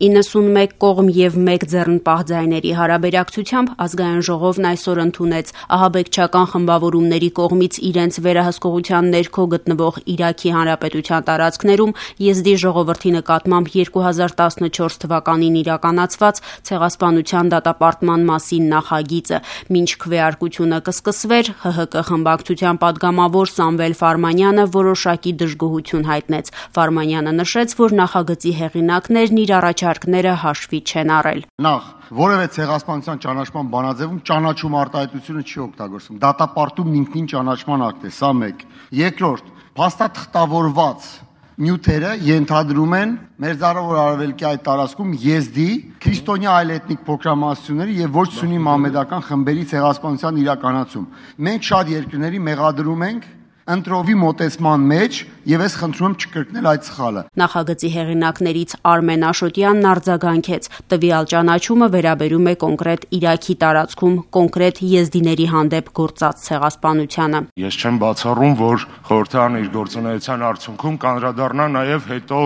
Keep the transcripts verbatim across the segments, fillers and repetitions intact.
իննսունմեկ կողմ եւ մեկ ձեռնպահ ձայների հարաբերակցությամբ ազգային ժողովն այսօր ընդունեց ահաբեկչական խմբավորումների կողմից իրենց վերահսկողության ներքո գտնվող Իրաքի Հանրապետության տարածքներում եզդի ժողովրդի նկատմամբ երկու հազար տասնչորս թվականին իրականացված ցեղասպանության դատապարտման մասին նախագիծը։ Մինչ քվեարկությունը կսկսվեր, ՀՀԿ խմբակցության падգամավոր Սամվել Ֆարմանյանը որոշակի դժգոհություն հայտնեց։ Ֆարմանյանը նշեց, որ նախագծի հեղինակներն իր առաջարկները հաշվի չեն առել։ Նախ, որևէ ցեղասպանության ճանաչման բանաձևում ճանաչում արտահայտությունը չի օգտագործվում։ Դատապարտումն ինքնին ճանաչման ակտ է, սա մեկ։ Երկրորդ, փաստաթղթավորված նյութերը ենթադրում են Մերձարավոր Արևելքի այդ տարածքում եզդի, քրիստոնյա այլէթնիկ փոքրամասնությունների եւ ոչ սուննի մահմեդական խմբերի ցեղասպանության իրականացում։ Մենք շատ երկրների մեղադրում ենք ընտրովի մոտեցման մեջ եւ ես խնդրում եմ չկրկնել այդ սխալը։ Նախագծի հեղինակներից Արմեն Աշոտյանն արձագանքեց. տվյալ ճանաչումը վերաբերում է կոնկրետ Իրաքի տարածքում կոնկրետ եզդիների հանդեպ գործած ցեղասպանությանը։ Ես չեմ բացառում, որ խորհրդարանը իր գործունեության արդյունքում կանդրադառնա նաեւ հետո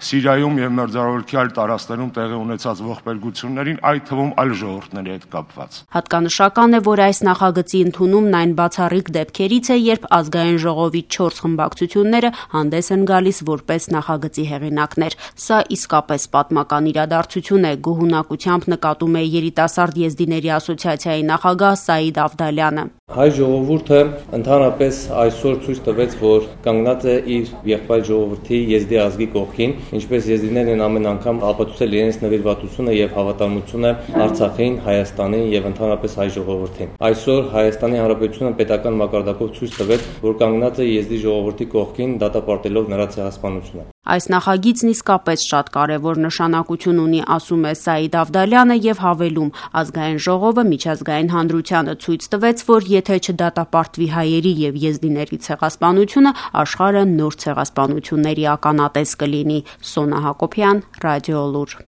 Սիրիայում եւ Մերձարևելքի այլ տարածքներում տեղի ունեցած ողբերգություններին, այդ թվում այլ ժողովուրդների հետ կապված։ Հատկանշական է, որ այս նախագծի ընդունումն այն բացառիկ դեպքերից է, երբ ազգային ժողովի չորս խմբակցությունները հանդես են գալիս որպես նախագծի հեղինակներ։ Սա իսկապես պատմական իրադարձություն է, գոհունակությամբ նկատում է երիտասարդ եզդիների ասոցիացիայի նախագահ Սաիդ Ավդալյանը։ Հայ ժողովուրդը ընդհանրապես այսօր ցույց տվեց, որ կանգնած է իր եղբայր ժողովրդի եզդի ազգի կողքին, ինչպես եզդիներն են ամեն անգամ ապացուցել իրենց նվիրվածությունը եւ հավատարմությունը Արցախին, Հայաստանին եւ ընդհանրապես հայ ժողովրդին։ Այսօր Հայաստանի Հանրապետությունը պետական մակարդակով ցույց տվեց, որ կանգնած է եզդի ժողովրդի կողքին դատապարտելով նրա ցեղասպանությունը։ Այս նախագիծն իսկապես շատ կարևոր նշանակություն ունի, ասում է Սաիդ Ավդալյանը եւ հավելում. ազգային ժողովը միջազգային հանրությանը ցույց տվեց, որ եթե չդատապարտվի հայերի եւ եզդիների ցեղասպանությունը, աշխարհը նոր ցեղասպանությունների ականատես կլինի։ Սոնա Հակոբյան, Ռադիոլուր։